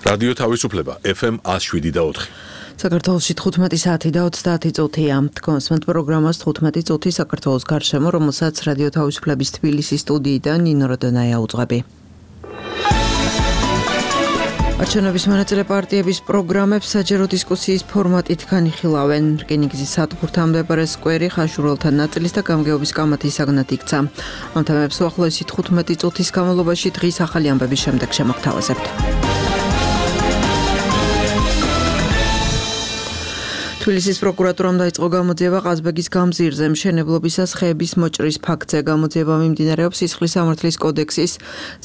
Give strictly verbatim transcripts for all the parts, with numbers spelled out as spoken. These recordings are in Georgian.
რადიო თავისუფლება ეფ ემ one oh seven და four. საქართველოში თხუთმეტი საათი და ოცდაათი წუთია. თქვენს პროგრამას თხუთმეტი წუთი საქართველოს გარშემო, რომელსაც რადიო თავისუფლების თბილისის სტუდიიდან ნინო როდონაია უძღვები. არჩევნების მონაწილე პარტიების პროგრამებს საჯარო დისკუსიის ფორმატით განიხილავენ. რკინიგზის სადგურთან მდებარე სკვერი ხაშურულთა ნაწილის და გამგეობის კამათის საგნად იქცა. ამ თემებს უახლოესი თხუთმეტი წუთის განმავლობაში დღის ახალი ამბების შემდეგ შემოგთავაზებთ. თბილისის პროკურატურამ დაიწყო გამოძიება ყაზბეგის გამზირზე მშენებლობისას ხეების მოჭრის ფაქტზე. გამოძიება მიმდინარეობს სისხლის სამართლის კოდექსის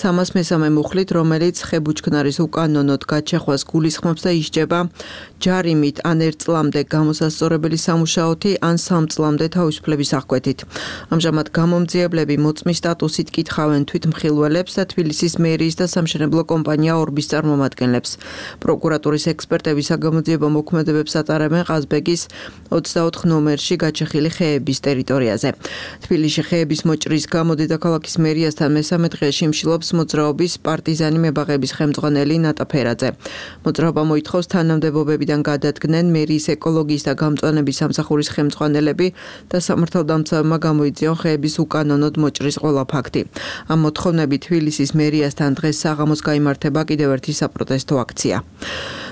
სამას მესამე მუხლით, რომელიც ხებუჩქნარის უკანონოდ გაჩეხვას გულისხმობს და ისჯება ჯარიმით ან ერთ წლამდე გამოსასწორებელი სამუშაოთი ან სამ წლამდე თავისუფლების აღკვეთით. ამჟამად გამომძიებლები მოწმის სტატუსით კითხავენ თვითმხილველებს და თბილისის მერიის და სამშენებლო კომპანია ორბის წარმომადგენლებს. პროკურატურის ექსპერტები საგამოძიებო მოქმედებებს ატარებენ ყაზბეგის ოცდაოთხ ნომერში გაჩეხილი ხეების ტერიტორიაზე. თბილისში ხეების მოჭრის გამო დედაქალაქის მერიასთან მესამე დღეში მშილობს მოძრაობის პარტიზანი მებაღების ხელმძღვანელი ნატა ფერაძე. მოძრაობა მოითხოვს თანამდებობებიდან გადადგნენ მერიის ეკოლოგიის და გამწვანების სამსახურის ხელმძღვანელები და სამართალდამცავებმა გამოიწვიონ ხეების უკანონოდ მოჭრის ყველა ფაქტი. ამ მოთხოვნებით თბილისის მერიასთან დღეს საღამოს გაიმართება კიდევ ერთი საპროტესტო აქცია.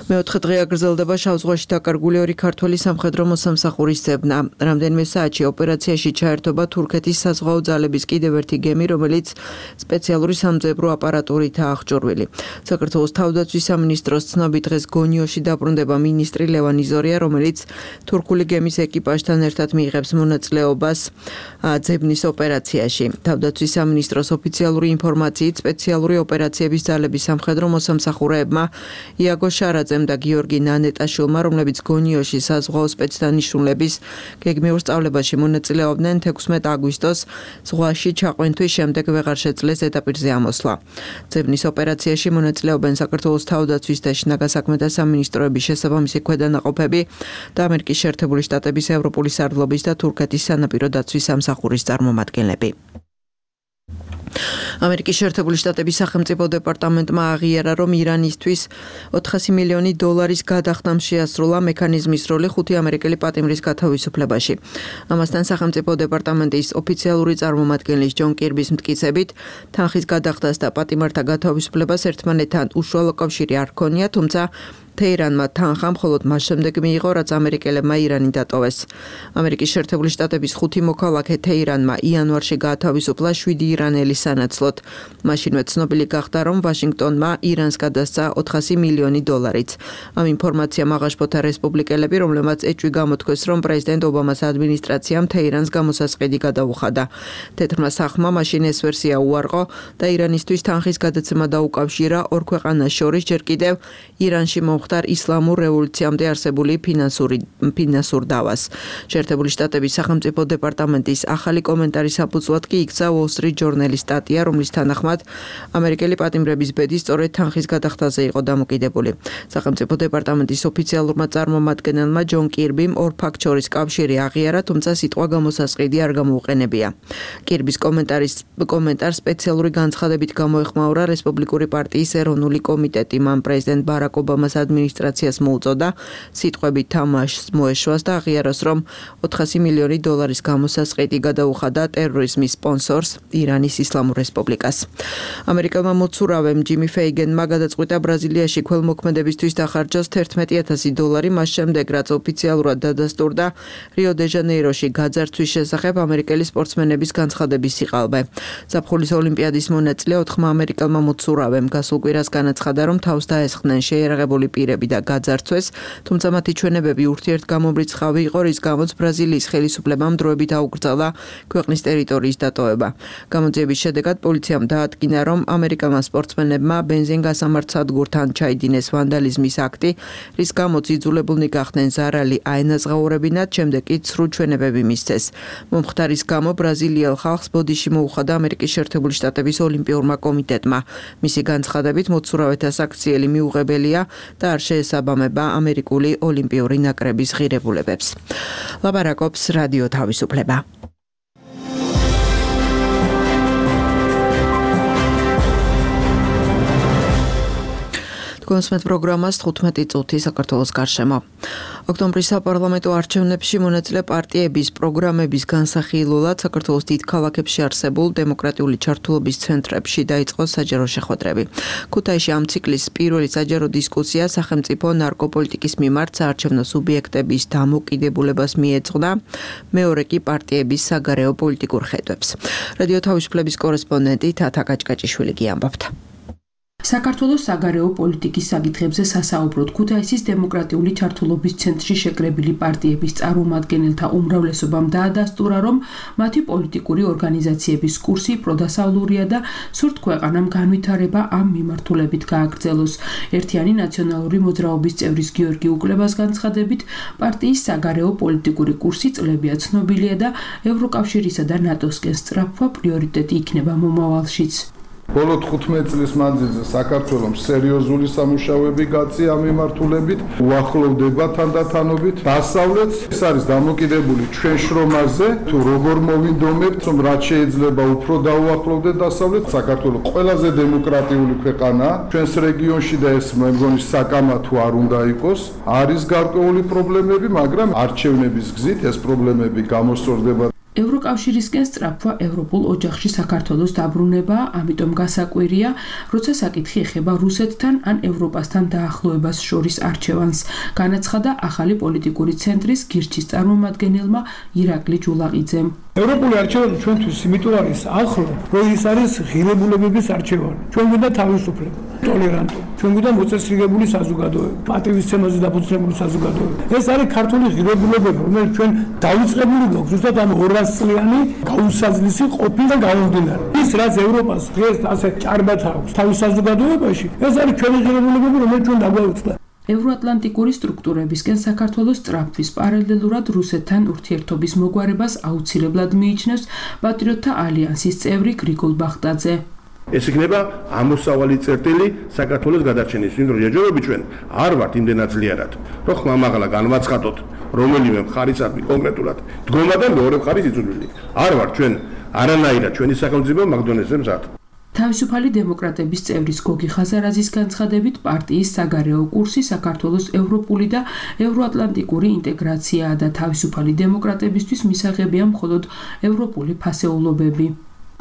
მეოთხე დღე აგრძელდება შავ ზღვაში დაკარგული ორი ქართველი სამხედრო მოსამსახურის ძებნა. რამდენიმე საათში ოპერაციაში ჩაერთობა თურქეთის საზღვაო ძალების კიდევ ერთი გემი, რომელიც სპეციალური სამძებრო აპარატურითაა აღჭურვილი. საქართველოს თავდაცვის სამინისტროს ცნობით დღეს გონიოში დაბრუნდება მინისტრი ლევან იზორია, რომელიც თურქული გემის ეკიპაჟთან ერთად მიიღებს მონაწილეობას ძებნის ოპერაციაში. თავდაცვის სამინისტროს ოფიციალური ინფორმაციით სპეციალური ოპერაციების ძალების სამხედრო მოსამსახურეებმა იაგო შარაძემ და გიორგი ნანეტაშვილმა, რომლებიც გონიოში საზღვაო სპეცდანიშნულების გეგმიურ სწავლებაში მონაწილეობდნენ, თექვსმეტ აგვისტოს ზღვაში ჩაყვენთვის შემდეგ ვეღარ შეძლეს ზედაპირზე ამოსვლა. ძებნის ოპერაციაში მონაწილეობენ საქართველოს თავდაცვის და შინაგან საქმეთა სამინისტროების შესაბამისი ქვედანაყოფები და ამერიკის შეერთებული შტატების ევროპული სარდლობის და თურქეთის სანაპირო დაცვის სამსახურის წარმომადგენლები. ამერიკის შეერთებული შტატების სახელმწიფო დეპარტამენტმა აღიარა, რომ ირანისთვის ოთხასი მილიონი დოლარის გადახდამ შეასრულა მექანიზმის როლი ხუთი ამერიკელი პატიმრის გათავისუფლებაში. ამასთან სახელმწიფო დეპარტამენტის ოფიციალური წარმომადგენლის ჯონ კირბის მტკიცებით, თანხის გადახდას და პატიმართა გათავისუფლებას ერთმანეთთან უშუალო კავშირი არ ჰქონია, თუმცა თეირანმა თანხა მხოლოდ მას შემდეგ მიიღო, რაც ამერიკელებმა ირანი დატოვეს. ამერიკის შეერთებული შტატების ხუთი მოქალაქე თეირანმა იანვარში გაათავისუფლა შვიდი ირანელი სანაცვლოდ. მაშინვე ცნობილი გახდა, რომ ვაშინგტონმა ირანს გადასცა ოთხასი მილიონი დოლარიც. ამ ინფორმაციამ აღაშფოთა რესპუბლიკელები, რომლებმაც ეჭვი გამოთქვეს, რომ პრეზიდენტ ობამას ადმინისტრაციამ თეირანს გამოსასყიდი გადაუხადა. თეთრმა სახლმა მაშინ ეს ვერსია უარყო და ირანისთვის თანხის გადაცემა დაუკავშირა ორ ქვეყანას შორის, ჯერ კიდევ ირანში მომხდარ ისლამურ რევოლუციამდე არსებული ფინანსური ფინანსურ დავას. შეერთებული შტატების სახელმწიფო დეპარტამენტის ახალი კომენტარის საფუძვლად კი იქცა Wall Street Journal-ის სტატია, რომლის თანახმად ამერიკელი პატიმრების ბედი სწორედ თანხის გადახდაზე იყო დამოკიდებული. სახელმწიფო დეპარტამენტის ოფიციალურმა წარმომადგენელმა ჯონ კირბიმ ორ ფაქტ შორის კავშირი აღიარა, თუმცა სიტყვა გამოსასყიდი არ გამოუყენებია. კირბის კომენტარის კომენტარს სპეციალური განცხადებით გამოეხმაურა რესპუბლიკური პარტიის ეროვნული კომიტეტი. მან პრეზიდენტ ბარაკ ობამას ადმინისტრაციას მოუწოდა სიტყვებით თამაშს მოეშვას და აღიაროს, რომ ოთხასი მილიონი დოლარის გამოსასყიდი გადაუხადა ტერორიზმის სპონსორს ირანის ისლამურ რესპუბლიკას. ამერიკელმა მოცურავემ ჯიმი ფეიგენმა გადაწყვიტა ბრაზილიაში ქველმოქმედებისთვის დახარჯოს თერთმეტი ათასი დოლარი, მას შემდეგ რაც ოფიციალურად დადასტურდა რიო დე ჟანეიროში გაძარცვის შესახებ ამერიკელი სპორტსმენების განცხადების სიყალბე. ზაფხულის ოლიმპიადის მონაწილე ოთხმა ამერიკელმა მოცურავემ გასულ კვირას განაცხადა, რომ თავს დაესხნენ შეიარაღებული პირები და გაძარცვეს, თუმცა მათი ჩვენებები ურთიერთგამომრიცხავი იყო, რის გამოც ბრაზილიის ხელისუფლებამ დროებით აუკრძალა ქვეყნის ტერიტორიის დატოვება. გამოძიების შედეგად პოლიციამ დაადგინა, რომ ამერიკელმა სპორტსმენებმა ბენზინგასამართ სადგურთან ჩაიდინეს ვანდალიზმის აქტი, რის გამოც იძულებულნი გახდნენ ზარალი აენაზღაურებინათ, შემდეგ კი ცრუ ჩვენებები მისცეს. მომხდარის გამო ბრაზილიელ ხალხს ბოდიში მოუხადა ამერიკის შეერთებული შტატების ოლიმპიურმა კომიტეტმა. მისი განცხადებით მოცურავეთა საქციელი მიუღებელია და არ შეესაბამება ამერიკული ოლიმპიური ნაკრების ღირებულებებს. ლაბარაკობს რადიო თავისუფლება. გონსმეთ პროგრამას თხუთმეტი წუთი საქართველოს გარშემო. ოქტომბრის საპარლამენტო არჩევნებში მონაწილე პარტიების პროგრამების განსახილულად საქართველოს დიდ ქალაქებში არსებულ დემოკრატიული ჩართულობის ცენტრებში დაიწყო საჯარო შეხვედრები. ქუთაისში ამ ციკლის პირველი საჯარო დისკუსია სახელმწიფო ნარკოპოლიტიკის მიმართ საარჩევნო სუბიექტების დამოკიდებულებას მიეძღვნა, მეორე კი პარტიების საგარეო პოლიტიკურ ხედვებს. რადიო თავისუფლების კორესპონდენტი თათა კაჭკაჭიშვილი გიამბობთ. საქართველოს საგარეო პოლიტიკის საკითხებზე სასაუბროდ ქუთაისის დემოკრატიული ჩართულობის ცენტრში შეკრებილი პარტიების წარმომადგენელთა უმრავლესობამ დაადასტურა, რომ მათი პოლიტიკური ორგანიზაციების კურსი პროდასავლურია და სურთ ქვეყანამ განვითარება ამ მიმართულებით გააგრძელოს. ერთიანი ნაციონალური მოძრაობის წევრის გიორგი უკლებას განცხადებით, პარტიის საგარეო პოლიტიკური კურსი წლებია ცნობილია და ევროკავშირისა და ნატოსკენ სწრაფვა პრიორიტეტი იქნება მომავალშიც. ბოლო თხუთმეტი წლის მანძილზე საქართველოს სერიოზული სამუშაოები გაწია ამ მიმართულებით, უახლოვდება თანდათანობით დასავლეთს. ეს არის დამოკიდებული ჩვენ შრომაზე, თუ როგორ მოვინდომებთ, რომ რაც შეიძლება უფრო დაუახლოვდეთ დასავლეთს. საქართველოს ყველაზე დემოკრატიული ქვეყანაა ჩვენს რეგიონში და ეს მე მგონი საკამათო არ უნდა იყოს. არის გარკვეული პრობლემები, მაგრამ არჩევნების გზით ეს პრობლემები გამოსწორდება. ევროკავშირისკენ სწრაფვა ევროპულ ოჯახში საქართველოს დაბრუნებაა, ამიტომ გასაკვირია, როცა საკითხი ეხება რუსეთთან ან ევროპასთან დაახლოებას შორის არჩევანს, განაცხადა ახალი პოლიტიკური ცენტრის გირჩის წარმომადგენელმა ირაკლი ჯულაყიძემ. ევროპული არჩევანი ჩვენთვის იმიტომ არის ახლო, რომ ის არის ღირებულებების არჩევანი. ჩვენ გვინდა თავისუფლება, ტოლერანტობა, ჩვენ გვინდა მოწესრიგებული საზოგადოება, პატივისცემაზე დაფუძნებული საზოგადოება. ეს არის ქართული ღირებულებები, რომელიც ჩვენ დაიწყებული გვაქვს ზუსტად ამ ორას წლიანი გაუსაძლისი ყოფილი და გამომდინარე. ის რაც ევროპას დღეს ასე ჭარბად აქვს თავის საზოგადოებაში, ეს არის ჩვენი ღირებულებები, რომელიც ჩვენ დაგვაუწყდა. ევროატლანტიკური სტრუქტურებისკენ საქართველოს სწრაფვის პარალელურად რუსეთთან ურთიერთობის მოგვარებას აუცილებლად მიიჩნევს პატრიოტთა ალიანსის წევრი გრიგოლ ბახტაძე. ეს იქნება ამოსავალი წერტილი საქართველოს გადარჩენის, ვინც რეჯერები ჩვენ არ ვართ იმდენად ძლიერად, რომ ხმამაღლა განვაცხადოთ რომელიმე მხარისადმი კონკრეტულად დგომა და მეორე მხარის იწვდილი. არ ვართ ჩვენ არანაირად ჩვენი სახელმწიფო მაგდონეზე მზად. თავისუფალი დემოკრატების წევრის გოგი ხაზარაძის განცხადებით, პარტიის საგარეო კურსი საქართველოს ევროპული და ევროატლანტიკური ინტეგრაციაა და თავისუფალი დემოკრატებისთვის მისაღებია მხოლოდ ევროპული ფასეულობები.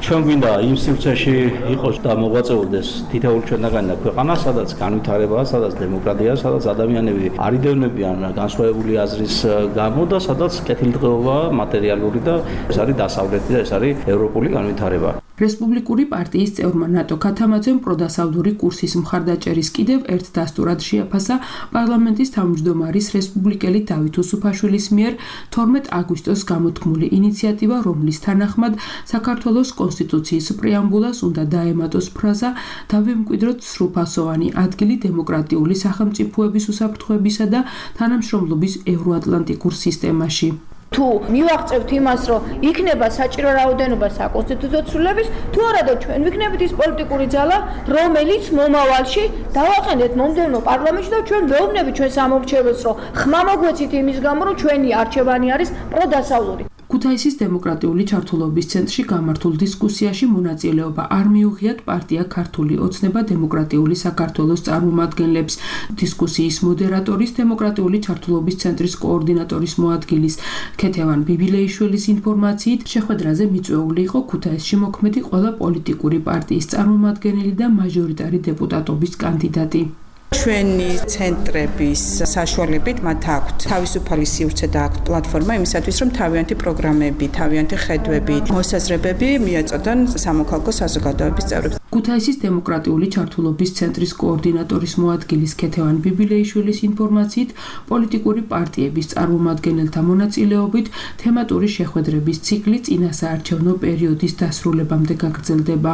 ჩვენ გვინდა იმ სივრცეში იყოს და მოღვაწეობდეს თითოეული ჩვენგანი ქვეყანა, სადაც განვითარებაა, სადაც დემოკრატია, სადაც ადამიანები არიდევნებიან განსხვავებული აზრის გამო და სადაც კეთილდღეობა მატერიალური და ეს არის დასავლეთი და ეს არის ევროპული განვითარება. რესპუბლიკური პარტიის წევრმა ნატო ქათამაძემ პროდასავლური კურსის მხარდაჭერის კიდევ ერთ დასტურად შეაფასა პარლამენტის თავმჯდომარის რესპუბლიკელი დავით უსუფაშვილის მიერ თორმეტ აგვისტოს გამოთქმული ინიციატივა, რომლის თანახმად საქართველოს კონსტიტუციის პრეამბულას უნდა დაემატოს ფრაზა „დავემკვიდროთ სრულფასოვანი ადგილი დემოკრატიული სახელმწიფოების უსაფრთხოებისა და თანამშრომლობის ევროატლანტიკურ სისტემაში“. თუ მივაღწევთ იმას, რომ იქნება საჭირო რაოდენობა საკონსტიტუციო ცვლილების, თუ არა და ჩვენ ვიქნებით ის პოლიტიკური ძალა, რომელიც მომავალში დავაყენეთ მომდევნო პარლამენტში და ჩვენ ვეუბნებით ჩვენ სამომრჩეველს, რომ ხმა მოგვეცით იმის გამო, რომ ჩვენი არჩევანი არის პროდასავლური. ქუთაისის დემოკრატიული ჩართულობის ცენტრში გამართულ დისკუსიაში მონაწილეობა არ მიუღიათ პარტია ქართული ოცნება დემოკრატიული საქართველოს წარმომადგენლებს. დისკუსიის მოდერატორის დემოკრატიული ჩართულობის ცენტრის კოორდინატორის მოადგილის ქეთევან ბიბილეიშვილის ინფორმაციით, შეხვედრაზე მიწვეული იყო ქუთაისში მოქმედი ყველა პოლიტიკური პარტიის წარმომადგენელი და მაჟორიტარი დეპუტატობის კანდიდატი. ჩვენი ცენტრების საშუალებით მათ აქვთ თავისუფალი სივრცე და აქვთ პლატფორმა იმისათვის, რომ თავიანთი პროგრამები, თავიანთი ხედვები, მოსაზრებები მიეწოდონ სამოქალაქო საზოგადოების წევრებს. ქუთაისის დემოკრატიული ჩართულობის ცენტრის კოორდინატორის მოადგილის ქეთევან ბიბილეიშვილის ინფორმაციით, პოლიტიკური პარტიების წარმომადგენელთა მონაწილეობით თემატური შეხვედრების ციკლი წინასაარჩევნო პერიოდის დასრულებამდე გაგრძელდება.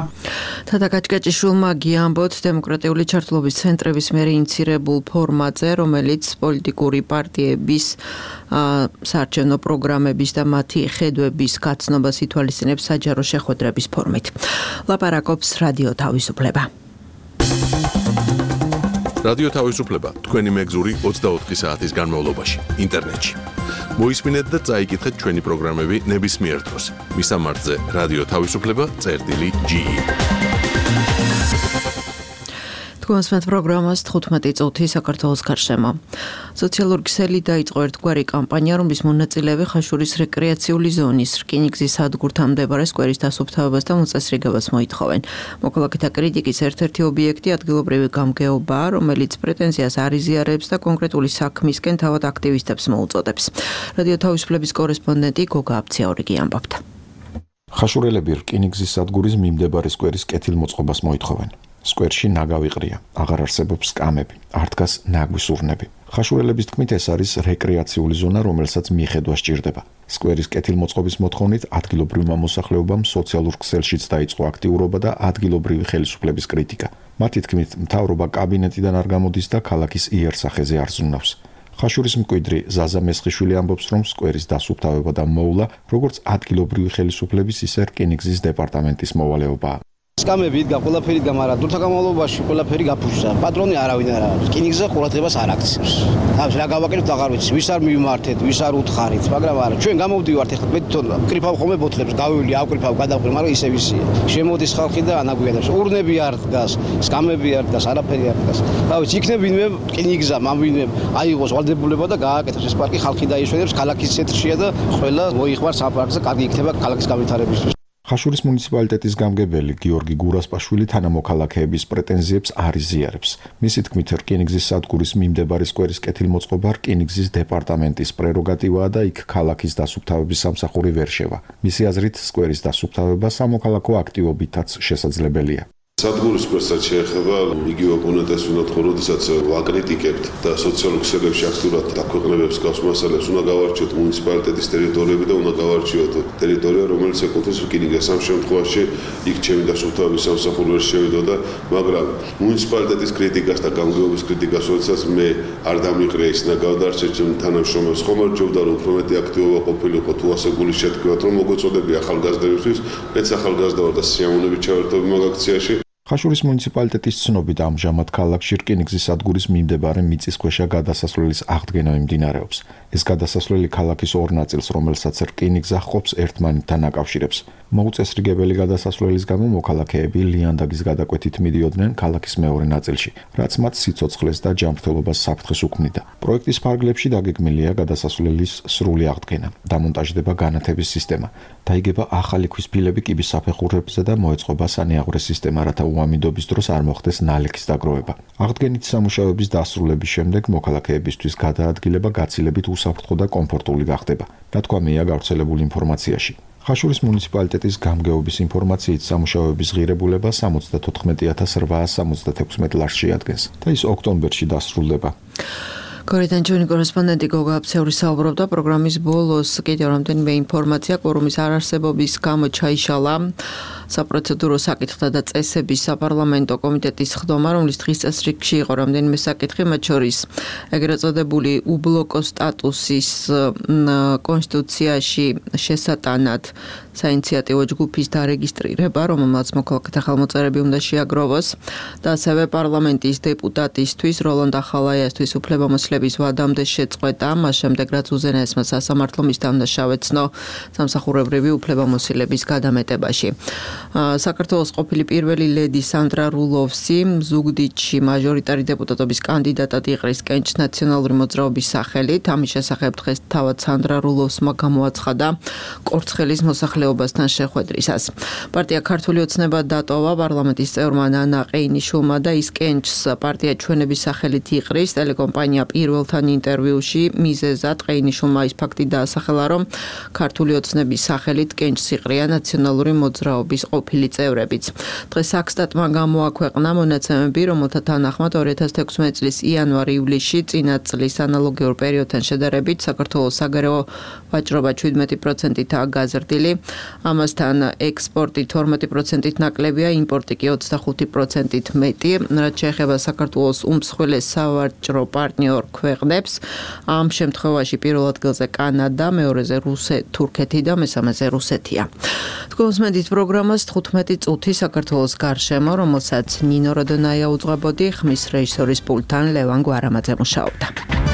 თათა კაჭკაჭიშვილმა გიამბოთ დემოკრატიული ჩართულობის ცენტრების მიერ ინიცირებულ ფორმატზე, რომელიც პოლიტიკური პარტიების საარჩევნო პროგრამების და მათი ხედვების გაცნობას ითვალისწინებს საჯარო შეხვედრების ფორმით. ლაპარაკობს რადიო თავისუფლება. რადიო თავისუფლება თქვენი მეგზური ოცდაოთხი საათის განმავლობაში ინტერნეტში. მოისმინეთ და წაიკითხეთ ჩვენი პროგრამები ნებისმიერ დროს. მისამართზე რადიო თავისუფლება წერტილი ჯი. თქვენს პროგრამას თხუთმეტი წუთი საქართველოს გარშემო. სოციალური ქსელი დაიწყო ერთგვარი კამპანია, რომლის მონაწილეები ხაშურის რეკრეაციული ზონის რკინიგზის სადგურთან მდებარე სკვერის დასუფთავებას და მოწესრიგებას მოითხოვენ. მოქალაქეთა კრიტიკის ერთ-ერთი ობიექტი ადგილობრივი გამგეობაა, რომელიც პრეტენზიას არ იზიარებს და კონკრეტული საქმისკენ თავად აქტივისტებს მოუწოდებს. რადიო თავისუფლების კორესპონდენტი გოგა აბციაურიგი ამბობდა. ხაშურელები რკინიგზის სადგურის მიმდებარე სკვერის კეთილმოწყობას მოითხოვენ. სკვერში ნაგავი ყრია, აღარ არსებობს კამები, არ დგას ნაგვის ურნები. ხაშურელების თქმით, ეს არის რეკრეაციული ზონა, რომელსაც მიხედვა სჭირდება. სკვერის კეთილმოწყობის მოთხოვნით ადგილობრივმა მოსახლეობამ სოციალურ ქსელშიც დაიწყო აქტიურობა და ადგილობრივი ხელისუფლების კრიტიკა. მათი თქმით, მთავრობა კაბინეტიდან არ გამოდის და ქალაქის იერსახეზე არ ზრუნავს. ხაშურის მკვიდრი ზაზა მესხიშვილი ამბობს, რომ სკვერის დასუფთავება და მოვლა, როგორც ადგილობრივი ხელისუფლების, ისე რკინიგზის დეპარტამენტის მოვალეობაა. სკამები იდგა ყველაფერი იდგა, მაგრამ დროთა განმავლობაში ყველაფერი გაფუჭდა. პატრონი არავინ არ არის. რკინიგზზე ყურადღებას არ აქცევს. ამის რა გავაკეთებთ აღარ ვიცი, ვის არ მივმართეთ, ვის არ უთხარით, მაგრამ არა, ჩვენ გამოვდივართ ეხლა მე თვითონ ვკრიფავ ხოლმე ბოთლებს, გავივლი, ავკრიფავ, გადავკრიფ, მაგრამ ისე ვისია. შემოდის ხალხი და ანაგვიანებს. ურნები არ დგას, სკამები არ დგას, არაფერი არ დგას. რა ვიცი, იქნებ ვინმე რკინიგზა, მამვინმე აიღოს ვალდებულება და გააკეთოს ეს პარკი, ხალხი დაიშვენებს, ქალაქის ცენტრშია და ყველა მოიხმარს ამ პარკზე, კარგი იქნება ქალაქის განვითარებისთვის. ხაშურის მუნიციპალიტეტის გამგებელი გიორგი გურასპაშვილი თანამოქალაქეების პრეტენზიებს არ იზიარებს. მისი თქმით, რკინიგზის სადგურის მიმდებარე სკვერის კეთილმოწყობა რკინიგზის დეპარტამენტის პრეროგატივაა და იქ ქალაქის დასუფთავების სამსახური ვერ შევა. მისი აზრით, სკვერის დასუფთავება სამოქალაქო აქტივობითაც შესაძლებელია. სადგურის სკვერსაც შეეხება იგივე ოპონენტებს ვინოთ ხო, როდესაც ვაკრიტიკებთ და სოციალურ ქსელებში აქტიურად დაქვეყნებებს გავს მასალებს, უნდა გავარჩიოთ მუნიციპალიტეტის ტერიტორიები და უნდა გავარჩიოთ ტერიტორია, რომელიც ეკუთვნის რკინიგზას. ამ შემთხვევაში იქ ჩემი დასუფთავების სამსახური ვერ შევიდოდა, მაგრამ მუნიციპალიტეტის კრიტიკას და გამგეობის კრიტიკას, როდესაც მე არ დამიყრია ის და გავდარჩეთ ჩემ თანამშრომელს, ხომ არ ჯობდა რომ უფრო მეტი აქტივობა ყოფილიყო თუ ასე გულის შეთქმულათ, რომ მოგეწოდები ახალგაზრდებისთვის, მეც ახალგაზრდა ვარ და სიამოვნებით ჩავერთობი მაგ აქციაში. ხაშურის მუნიციპალიტეტის ცნობით, ამჟამად ქალაქში რკინიგზის სადგურის მიმდებარე მიწისქვეშა გადასასვლელის აღდგენა მიმდინარეობს. ეს გადასასვლელი ქალაქის ორ ნაწილს, რომელსაც რკინიგზა ჰყოფს, ერთმანეთთან აკავშირებს. მოუწესრიგებელი გადასასვლელის გამო მოქალაქეები ლიანდაგის გადაკვეთით მიდიოდნენ ქალაქის მეორე ნაწილში, რაც მათ სიცოცხლეს და ჯანმრთელობას საფრთხეს უქმნიდა. პროექტის ფარგლებში დაგეგმილია გადასასვლელის სრული აღდგენა, დამონტაჟდება განათების სისტემა, დაიგება ახალი ქვის ფილები კიბის საფეხურებზე და მოეწყობა სანეაღვრე სისტემა, რათა უამინდობის დროს არ მოხდეს ნალექის დაგროვება. აღდგენით სამუშაოების დასრულების შემდეგ მოქალაქეებისთვის გადაადგილება გაცილებით უსაფრთხო და კომფორტული გახდება. ნათქვამია გავრცელებული ინფორმაციაში. ხაშურის მუნიციპალიტეტის გამგეობის ინფორმაციით სამუშაოების ღირებულება სამოცდათოთხმეტი ათას რვაას სამოცდათექვსმეტ ლარს შეადგენს და ის ოქტომბერში დასრულდება. გორიდან ჩვენი კორესპონდენტი გოგა აბციური საუბრობდა პროგრამის ბოლოს კიდევ რამდენიმე ინფორმაცია კვორუმის არარსებობის გამო ჩაიშალა საპროცედურო საკითხთა და წესების საპარლამენტო კომიტეტის ხდომა, რომლის დღის წესრიგში იყო რამდენიმე საკითხი, მათ შორის ეგრეთ წოდებული უბლოკო სტატუსის კონსტიტუციაში შესატანად საინიციატივო ჯგუფის დარეგისტრირება, რომელმაც მოქალაქეთა ხელმოწერები უნდა შეაგროვოს და ასევე პარლამენტის დეპუტატისთვის როლანდ ახალაიასთვის უფლებამოსილების ვადამდე შეწყვეტა, მას შემდეგ რაც უზენაესმა სასამართლომ ის დამნაშავეცნო სამსახურებრივი უფლებამოსილების გადამეტებაში. საქართველოს ყოფილი პირველი ლედი სანდრა რულოვსი ზუგდიდში მაჟორიტარი დეპუტატობის კანდიდატად იყრის კენჭს ნაციონალური მოძრაობის სახელით. ამის შესახებ დღეს თავად სანდრა რულოვსმა გამოაცხადა კორცხელის მოსახლეობასთან შეხვედრისას. პარტია ქართული ოცნება დატოვა პარლამენტის წევრმა ნანა ყეინიშვილმა და ის კენჭს პარტია ჩვენების სახელით იყრის. ტელეკომპანია პირველთან ინტერვიუში მიზეზად ყეინიშვილმა ის ფაქტი დაასახელა, რომ ქართული ოცნების სახელით კენჭს იყრია ნაციონალური მოძრაობის ყოფილი წევრებიც. დღეს საქსტატმა გამოაქვეყნა მონაცემები, რომელთა თანახმად ორი ათას თექვსმეტი წლის იანვარ-ივლისში წინა წლის ანალოგიურ პერიოდთან შედარებით საქართველოს საგარეო ვაჭრობა შვიდმეტი პროცენტითაა გაზრდილი. ამასთან ექსპორტი თორმეტი პროცენტით ნაკლებია, იმპორტი კი ოცდახუთი პროცენტით მეტი. რაც შეეხება საქართველოს უმსხვილეს სავაჭრო პარტნიორ ქვეყნებს, ამ შემთხვევაში პირველ ადგილზე კანადა, მეორეზე რუსეთი, თურქეთი და მესამეზე რუსეთია. თქვენს მედით პროგრამას თხუთმეტი წუთი საქართველოს გარშემო, რომელსაც ნინო როდონაია უძღვებოდი, ხმის რეჟისორის პულტთან ლევან გვარამაძე მუშაობდა.